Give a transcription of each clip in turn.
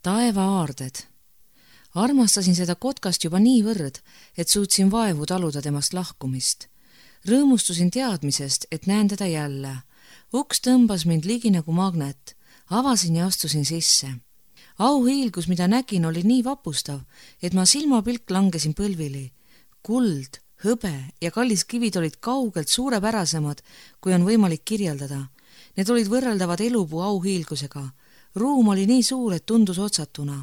Taevaaarded. Armastasin seda kotkast juba niivõrd, et suutsin vaevu taluda temast lahkumist. Rõõmustusin teadmisest, et näen teda jälle. Uks tõmbas mind ligi nagu magnet. Avasin ja astusin sisse. Auhiilgus, mida nägin, oli nii vapustav, et ma silmapilk langesin põlvili. Kuld, hõbe ja kallis kivid olid kaugelt suurepärasemad, kui on võimalik kirjeldada. Need olid võrreldavad elupuu auhiilgusega. Ruum oli nii suur, et tundus otsatuna.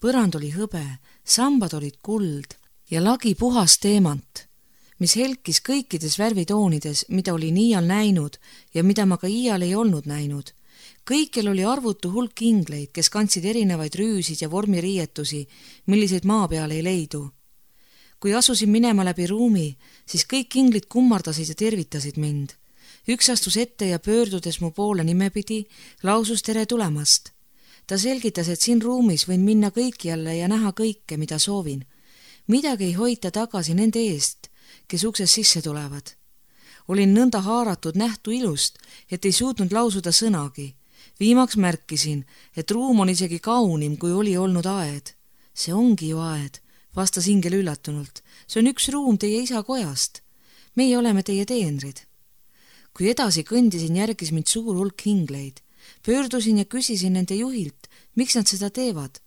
Põrand oli hõbe, sambad olid kuld ja lagi puhas teemant, mis helkis kõikides värvitoonides, mida olin iial näinud ja mida ma ka iial ei olnud näinud. Kõikjal oli arvutu hulk ingleid, kes kandsid erinevaid rüüsid ja vormiriietusi, milliseid maa peal ei leidu. Kui asusin minema läbi ruumi, siis kõik inglid kummardasid ja tervitasid mind. Üks astus ette ja pöördudes mu poole nimepidi, lausus tere tulemast. Ta selgitas, et siin ruumis võin minna kõikjalle ja näha kõike, mida soovin. Midagi ei hoita tagasi nende eest, kes uksest sisse tulevad. Olin nõnda haaratud nähtu ilust, et ei suutnud lausuda sõnagi. Viimaks märkisin, et ruum on isegi kaunim, kui oli olnud aed. See ongi ju aed, vastas ingel üllatunult. See on üks ruum teie isa kojast. Meie oleme teie teenrid. Kui edasi kõndisin, järgis mind suur hulk ingleid. Pöördusin ja küsisin nende juhilt, miks nad seda teevad.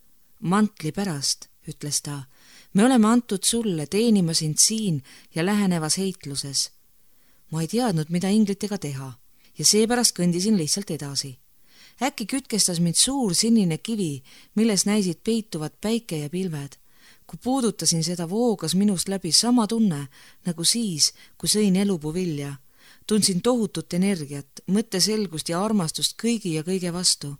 Mantli pärast, ütles ta. Me oleme antud sulle, teenima sind siin ja lähenevas heitluses. Ma ei teadnud, mida inglitega teha ja seepärast kõndisin lihtsalt edasi. Äkki kütkestas mind suur sinine kivi, milles näisid peituvad päike ja pilved. Kui puudutasin seda, voogas minust läbi sama tunne, nagu siis, kui sõin elupuu vilja. Tundsin tohutut energiat, mõtteselgust ja armastust kõigi ja kõige vastu.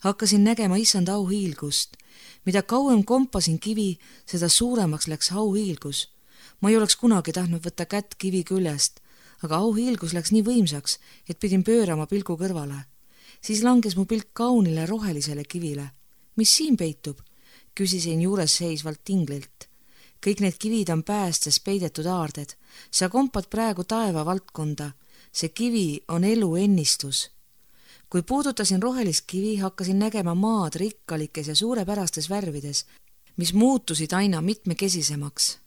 Hakkasin nägema issanda auhiilgust. Mida kauem kompasin kivi, seda suuremaks läks auhiilgus. Ma ei oleks kunagi tahtnud võtta kätt kivi küljest, aga auhiilgus läks nii võimsaks, et pidin pöörama pilgu kõrvale. Siis langes mu pilk kaunile rohelisele kivile. Mis siin peitub? Küsisin juures seisvalt inglilt. Kõik need kivid on päästes peidetud aarded. Sa kompad praegu taeva valdkonda. See kivi on elu ennistus. Kui puudutasin rohelist kivi, hakkasin nägema maad rikkalikes ja suurepärastes värvides, mis muutusid aina mitmekesisemaks.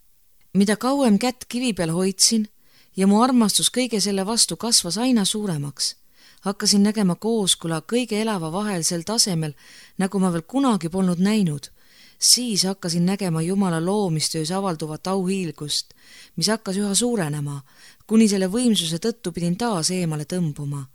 Mida kauem kätt kivi peal hoidsin ja mu armastus kõige selle vastu kasvas aina suuremaks, hakkasin nägema kooskõla kõige elava vahel sel tasemel, nagu ma veel kunagi polnud näinud. Siis hakkasin nägema Jumala loomistöös avalduvat auhiilgust, mis hakkas üha suurenema, kuni selle võimsuse tõttu pidin taas eemale tõmbuma.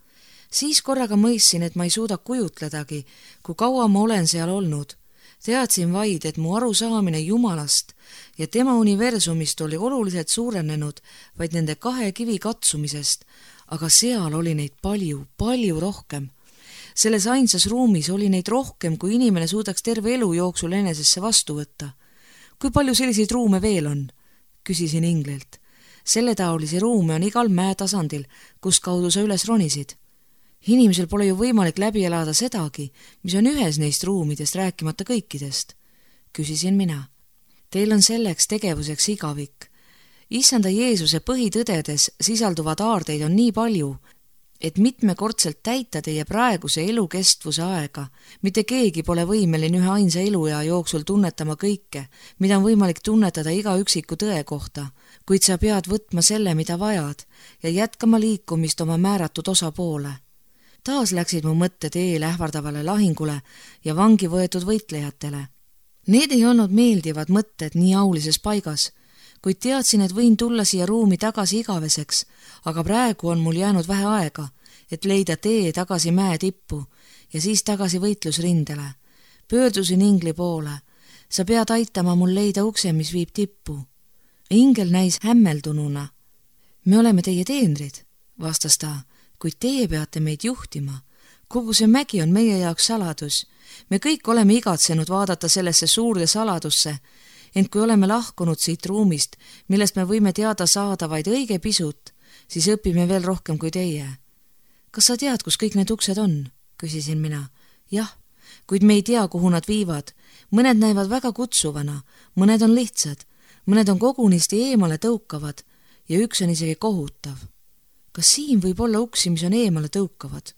Siis korraga mõistsin, et ma ei suuda kujutledagi, kui kaua ma olen seal olnud. Teadsin vaid, et mu arusaamine Jumalast ja tema universumist oli oluliselt suurenenud vaid nende kahe kivi katsumisest, aga seal oli neid palju, palju rohkem. Selles ainsas ruumis oli neid rohkem, kui inimene suudaks terve elu jooksul enesesse vastu võtta. Kui palju selliseid ruume veel on? Küsisin inglilt. Selletaolisi ruume on igal mäetasandil, kus kaudu sa üles ronisid. Inimesel pole ju võimalik läbi elada sedagi, mis on ühes neist ruumidest, rääkimata kõikidest. Küsisin mina. Teil on selleks tegevuseks igavik. Issanda Jeesuse põhitõdedes sisalduvad aardeid on nii palju, et mitmekordselt täita teie praeguse elukestvuse aega. Mitte keegi pole võimeline ühe ainsa eluea jooksul tunnetama kõike, mida on võimalik tunnetada iga üksiku tõe kohta, kuid sa pead võtma selle, mida vajad ja jätkama liikumist oma määratud osa poole. Taas läksid mu mõtted eel ähvardavale lahingule ja vangi võetud võitlejatele. Need ei olnud meeldivad mõtted nii aulises paigas, kuid teadsin, et võin tulla siia ruumi tagasi igaveseks, aga praegu on mul jäänud vähe aega, et leida tee tagasi mäe tippu ja siis tagasi võitlusrindele. Pöördusin ingli poole. Sa pead aitama mul leida ukse, mis viib tippu. Ingel näis hämmeldununa. Me oleme teie teenrid, vastas ta, kuid teie peate meid juhtima. Kogu see mägi on meie jaoks saladus. Me kõik oleme igatsenud vaadata sellesse suurde saladusse, ent kui oleme lahkunud siit ruumist, millest me võime teada saada vaid õige pisut, siis õpime veel rohkem kui teie. Kas sa tead, kus kõik need uksed on? Küsisin mina. Jah, kuid me ei tea, kuhu nad viivad. Mõned näivad väga kutsuvana, mõned on lihtsad, mõned on kogunisti eemale tõukavad ja üks on isegi kohutav. Kas siin võib olla uksi, mis on eemale tõukavad?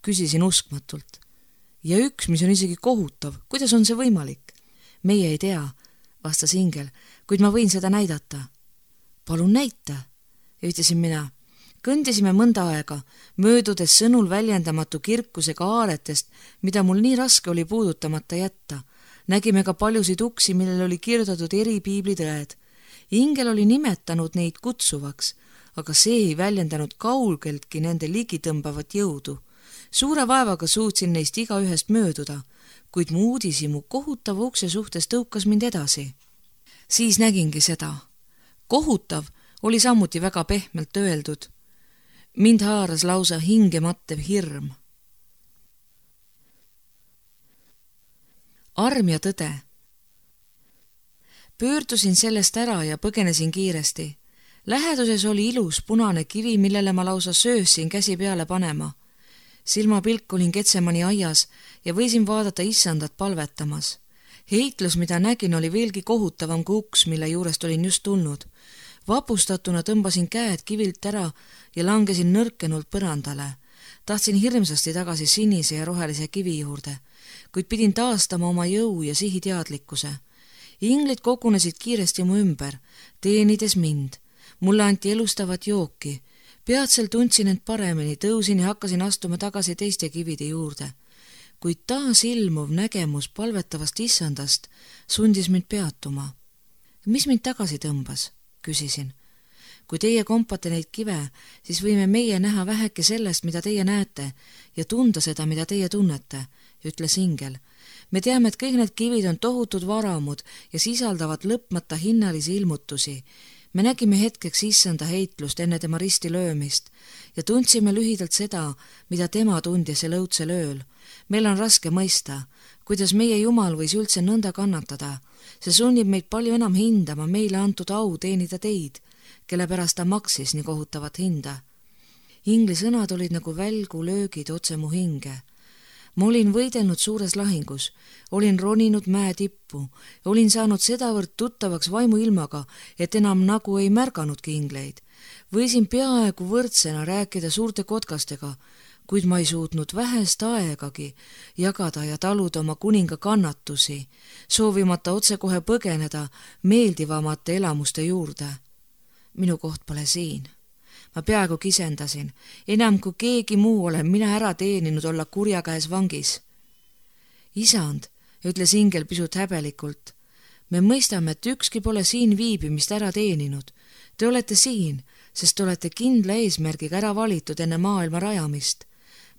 Küsisin uskmatult. ja üks, mis on isegi kohutav. Kuidas on see võimalik? Meie ei tea, vastas ingel, kuid ma võin seda näidata. Palun näita, ütlesin mina. Kõndisime mõnda aega, möödudes sõnul väljendamatu kirkusega aaretest, mida mul nii raske oli puudutamata jätta. Nägime ka paljusid uksi, millel oli kirjutatud eri piiblitõed. Ingel oli nimetanud neid kutsuvaks, aga see ei väljendanud kaugeltki nende ligitõmbavat jõudu. Suure vaevaga suutsin neist igaühest mööduda, kuid mu uudishimu kohutava ukse suhtes tõukas mind edasi. Siis nägingi seda. Kohutav oli samuti väga pehmelt öeldud. Mind haaras lausa hingemattev hirm. Arm ja tõde. Pöördusin sellest ära ja põgenesin kiiresti. Läheduses oli ilus punane kivi, millele ma lausa söösin käsi peale panema. Silmapilk olin Getsemani aias ja võisin vaadata issandat palvetamas. Heitlus, mida nägin, oli veelgi kohutavam kui uks, mille juurest olin just tulnud. Vapustatuna tõmbasin käed kivilt ära ja langesin nõrkenult põrandale. Tahtsin hirmsasti tagasi sinise ja rohelise kivi juurde, kuid pidin taastama oma jõu ja sihiteadlikkuse. Inglid kogunesid kiiresti mu ümber, teenides mind. Mulle anti elustavat jooki. Peatselt tundsin end paremini, tõusin ja hakkasin astuma tagasi teiste kivide juurde. Kuid taas ilmuv nägemus palvetavast issandast sundis mind peatuma. Mis mind tagasi tõmbas? Küsisin. Kui teie kompate neid kive, siis võime meie näha väheke sellest, mida teie näete ja tunda seda, mida teie tunnete, ütles ingel. Me teame, et kõik need kivid on tohutud varamud ja sisaldavad lõpmata hinnalisi ilmutusi. Me nägime hetkeks issanda heitlust enne tema risti löömist ja tundsime lühidalt seda, mida tema tundis sel õudsel ööl. Meil on raske mõista, kuidas meie Jumal võis üldse nõnda kannatada. See sunnib meid palju enam hindama meile antud au teenida teid, kelle pärast ta maksis nii kohutavat hinda. Ingli sõnad olid nagu välgu löögid otse mu hinge. Ma olin võidelnud suures lahingus, olin roninud mäe tippu, olin saanud sedavõrd tuttavaks vaimuilmaga, et enam nagu ei märganudki ingleid. Võisin peaaegu võrdsena rääkida suurte kotkastega, kuid ma ei suutnud vähest aegagi jagada ja taluda oma kuninga kannatusi, soovimata otsekohe põgeneda meeldivamate elamuste juurde. Minu koht pole siin. Ma peaaegu kisendasin. Enam kui keegi muu olen mina ära teeninud olla kurja käes vangis. Isand, ütles ingel pisut häbelikult, me mõistame, et ükski pole siin viibimist ära teeninud. Te olete siin, sest te olete kindla eesmärgiga ära valitud enne maailma rajamist.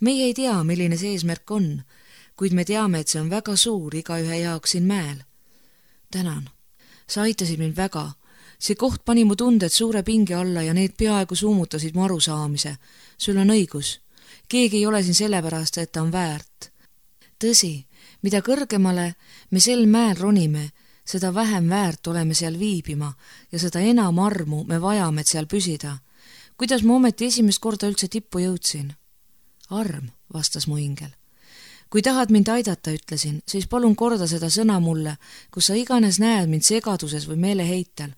Meie ei tea, milline see eesmärk on, kuid me teame, et see on väga suur igaühe jaoks siin mäel. Tänan. Sa aitasid mind väga. See koht pani mu tunded suure pinge alla ja need peaaegu suumutasid mu arusaamise. Sul on õigus. Keegi ei ole siin sellepärast, et ta on väärt. Tõsi, mida kõrgemale me sel mäel ronime, seda vähem väärt oleme seal viibima ja seda enam armu me vajame, et seal püsida. Kuidas ma ometi esimest korda üldse tippu jõudsin? Arm, vastas mu ingel. Kui tahad mind aidata, ütlesin, siis palun korda seda sõna mulle, kus sa iganes näed mind segaduses või meeleheitel.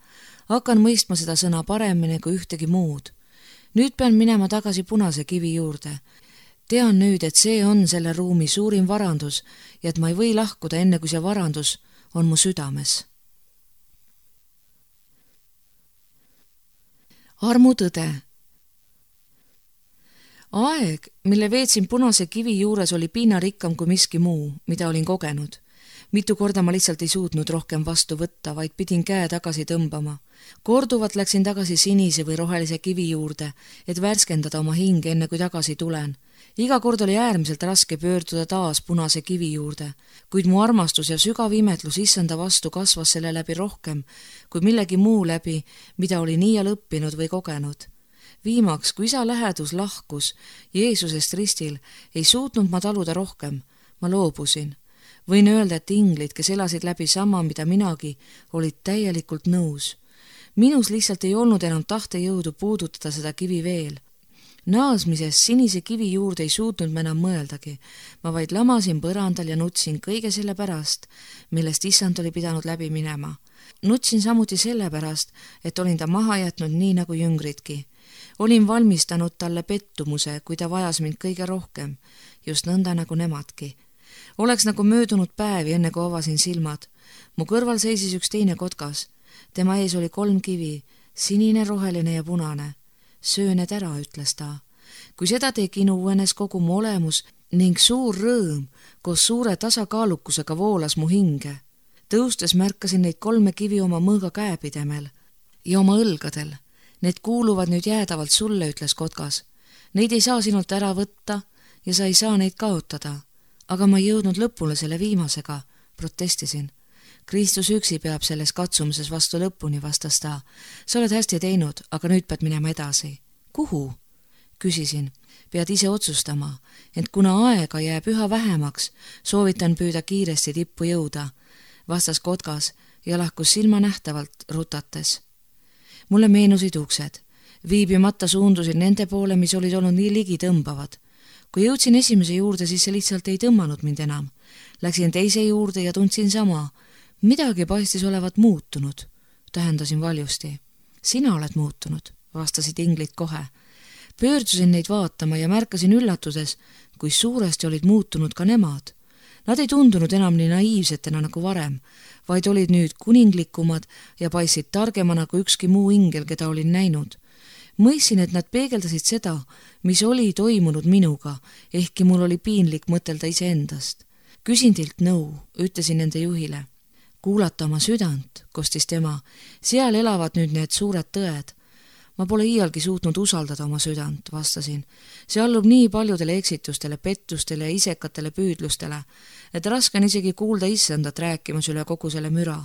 Hakkan mõistma seda sõna paremini kui ühtegi muud. Nüüd pean minema tagasi punase kivi juurde. Tean nüüd, et see on selle ruumi suurim varandus ja et ma ei või lahkuda enne, kui see varandus on mu südames. Armu tõde. Aeg, mille veetsin punase kivi juures, oli piinarikkam kui miski muu, mida olin kogenud. Mitu korda ma lihtsalt ei suutnud rohkem vastu võtta, vaid pidin käe tagasi tõmbama. Korduvalt läksin tagasi sinise või rohelise kivi juurde, et värskendada oma hinge enne kui tagasi tulen. Iga kord oli äärmiselt raske pöörduda taas punase kivi juurde, kuid mu armastus ja sügav imetlus issanda vastu kasvas selle läbi rohkem kui millegi muu läbi, mida oli iial õppinud või kogenud. Viimaks, kui isa lähedus lahkus Jeesusest ristil, ei suutnud ma taluda rohkem. Ma loobusin. Võin öelda, et inglid, kes elasid läbi sama, mida minagi, olid täielikult nõus. Minus lihtsalt ei olnud enam tahtejõudu puudutada seda kivi veel. Naasmises sinise kivi juurde ei suutnud ma enam mõeldagi. Ma vaid lamasin põrandal ja nutsin kõige selle pärast, millest issand oli pidanud läbi minema. Nutsin samuti selle pärast, et olin ta maha jätnud nii nagu jüngridki. Olin valmistanud talle pettumuse, kui ta vajas mind kõige rohkem, just nõnda nagu nemadki. Oleks nagu möödunud päevi, enne kui avasin silmad. Mu kõrval seisis üks teine kotkas. Tema ees oli 3 kivi, sinine, roheline ja punane. Söö need ära, ütles ta. Kui seda tegin, uuenes kogu mu olemus ning suur rõõm koos suure tasakaalukusega voolas mu hinge. Tõustes märkasin neid 3 kivi oma mõõga käepidemel ja oma õlgadel. Need kuuluvad nüüd jäädavalt sulle, ütles kotkas. Neid ei saa sinult ära võtta ja sa ei saa neid kaotada. Aga ma ei jõudnud lõpule selle viimasega, protestisin. Kristus üksi peab selles katsumises vastu lõpuni, vastas ta. Sa oled hästi teinud, aga nüüd pead minema edasi. Kuhu? Küsisin. Pead ise otsustama, ent kuna aega jääb üha vähemaks, soovitan püüda kiiresti tippu jõuda, vastas kotkas ja lahkus silmanähtavalt rutates. Mulle meenusid uksed. Viibimata suundusin nende poole, mis olid olnud nii ligi tõmbavad. Kui jõudsin esimese juurde, siis see lihtsalt ei tõmmanud mind enam. Läksin teise juurde ja tundsin sama. Midagi paistis olevat muutunud, tähendasin valjusti. Sina oled muutunud, vastasid inglid kohe. Pöördusin neid vaatama ja märkasin üllatuses, kui suuresti olid muutunud ka nemad. Nad ei tundunud enam nii naiivsetena nagu varem, vaid olid nüüd kuninglikumad ja paistsid targemana kui ükski muu ingel, keda olin näinud. Mõistsin, et nad peegeldasid seda, mis oli toimunud minuga, ehkki mul oli piinlik mõtelda iseendast. Küsin teilt nõu, ütlesin nende juhile. Kuulata oma südant, kostis tema. Seal elavad nüüd need suured tõed. Ma pole iialgi suutnud usaldada oma südant, vastasin. See allub nii paljudele eksitustele, pettustele ja isekatele püüdlustele, et raske on isegi kuulda issandat rääkimas üle kogu selle müra.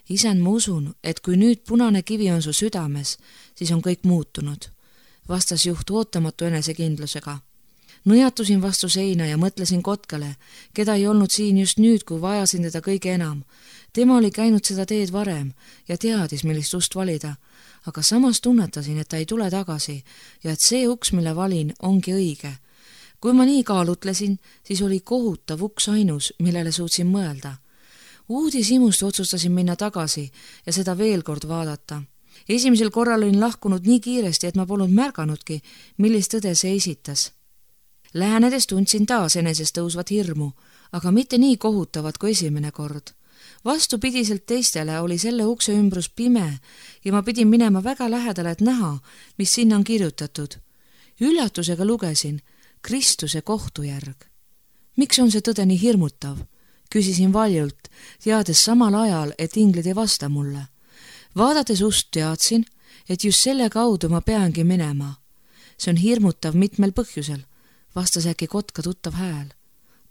Isand, ma usun, et kui nüüd punane kivi on su südames, siis on kõik muutunud, vastas juht ootamatu enesekindlusega. Nõjatusin vastu seina ja mõtlesin kotkale, keda ei olnud siin just nüüd, kui vajasin teda kõige enam. Tema oli käinud seda teed varem ja teadis, millist ust valida, aga samas tunnetasin, et ta ei tule tagasi ja et see uks, mille valin, ongi õige. Kui ma nii kaalutlesin, siis oli kohutav uks ainus, millele suutsin mõelda. Uudishimust otsustasin minna tagasi ja seda veel kord vaadata. Esimesel korral olin lahkunud nii kiiresti, et ma polnud märganudki, millist tõde see esitas. Lähenedes tundsin taas enesest tõusvat hirmu, aga mitte nii kohutavat kui esimene kord. Vastupidiselt teistele oli selle ukse ümbrus pime ja ma pidin minema väga lähedale, et näha, mis sinna on kirjutatud. Üllatusega lugesin Kristuse kohtujärg. Miks on see tõde nii hirmutav? Küsisin valjult, teades samal ajal, et inglid ei vasta mulle. Vaadates ust teadsin, et just selle kaudu ma peangi minema. See on hirmutav mitmel põhjusel, vastas äkki kotka tuttav hääl.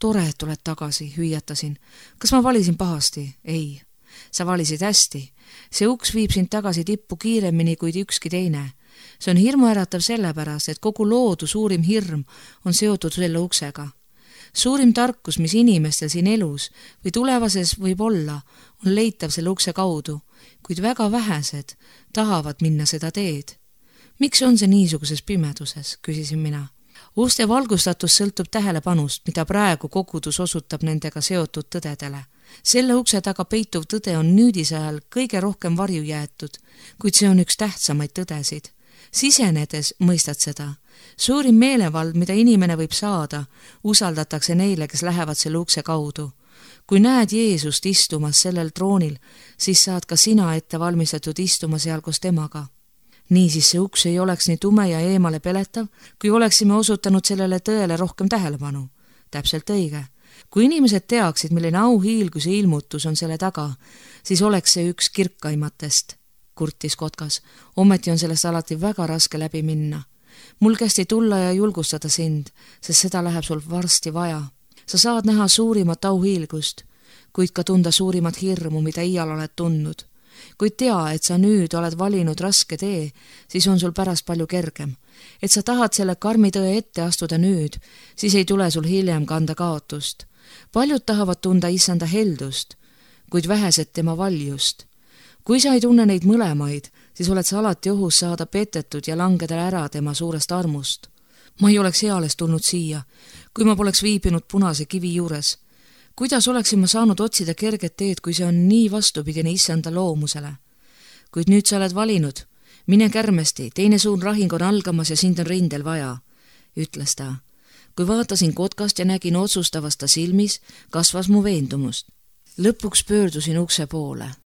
Tore, et tuled tagasi, hüüatasin. Kas ma valisin pahasti? Ei. Sa valisid hästi. See uks viib sind tagasi tippu kiiremini kui ükski teine. See on hirmuäratav sellepärast, et kogu loodu suurim hirm on seotud selle uksega. Suurim tarkus, mis inimestel siin elus või tulevases võib olla, on leitav selle ukse kaudu, kuid väga vähesed tahavad minna seda teed. Miks on see niisuguses pimeduses, küsisin mina. Uste valgustatus sõltub tähelepanust, mida praegu kogudus osutab nendega seotud tõdedele. Selle ukse taga peituv tõde on nüüdise ajal kõige rohkem varju jäetud, kuid see on üks tähtsamaid tõdesid. Sisenedes mõistad seda. Suurim meelevald, mida inimene võib saada, usaldatakse neile, kes lähevad selle ukse kaudu. Kui näed Jeesust istumas sellel troonil, siis saad ka sina ette valmistatud istuma seal koos temaga. Niisiis see uks ei oleks nii tume ja eemale peletav, kui oleksime osutanud sellele tõele rohkem tähelepanu. Täpselt õige. Kui inimesed teaksid, milline auhiilguse ilmutus on selle taga, siis oleks see üks kirkaimatest, kurtis kotkas. Ometi on sellest alati väga raske läbi minna. Mul kästi tulla ja julgustada sind, sest seda läheb sul varsti vaja. Sa saad näha suurimat auhiilgust, kuid ka tunda suurimat hirmu, mida iial oled tundnud. Kui tea, et sa nüüd oled valinud raske tee, siis on sul pärast palju kergem. Et sa tahad selle karmi tõe ette astuda nüüd, siis ei tule sul hiljem kanda kaotust. Paljud tahavad tunda issanda heldust, kuid vähesed tema valjust. Kui sa ei tunne neid mõlemaid, siis oled sa alati ohus saada petetud ja langeda ära tema suurest armust. Ma ei oleks eales tulnud siia, kui ma poleks viibinud punase kivi juures. Kuidas oleksin ma saanud otsida kerget teed, kui see on nii vastupidine issanda loomusele? Kuid nüüd sa oled valinud. Mine kärmesti, teine suur rahing on algamas ja sind on rindel vaja, ütles ta. kui vaatasin kotkast ja nägin otsustavast ta silmis, kasvas mu veendumust. Lõpuks pöördusin ukse poole.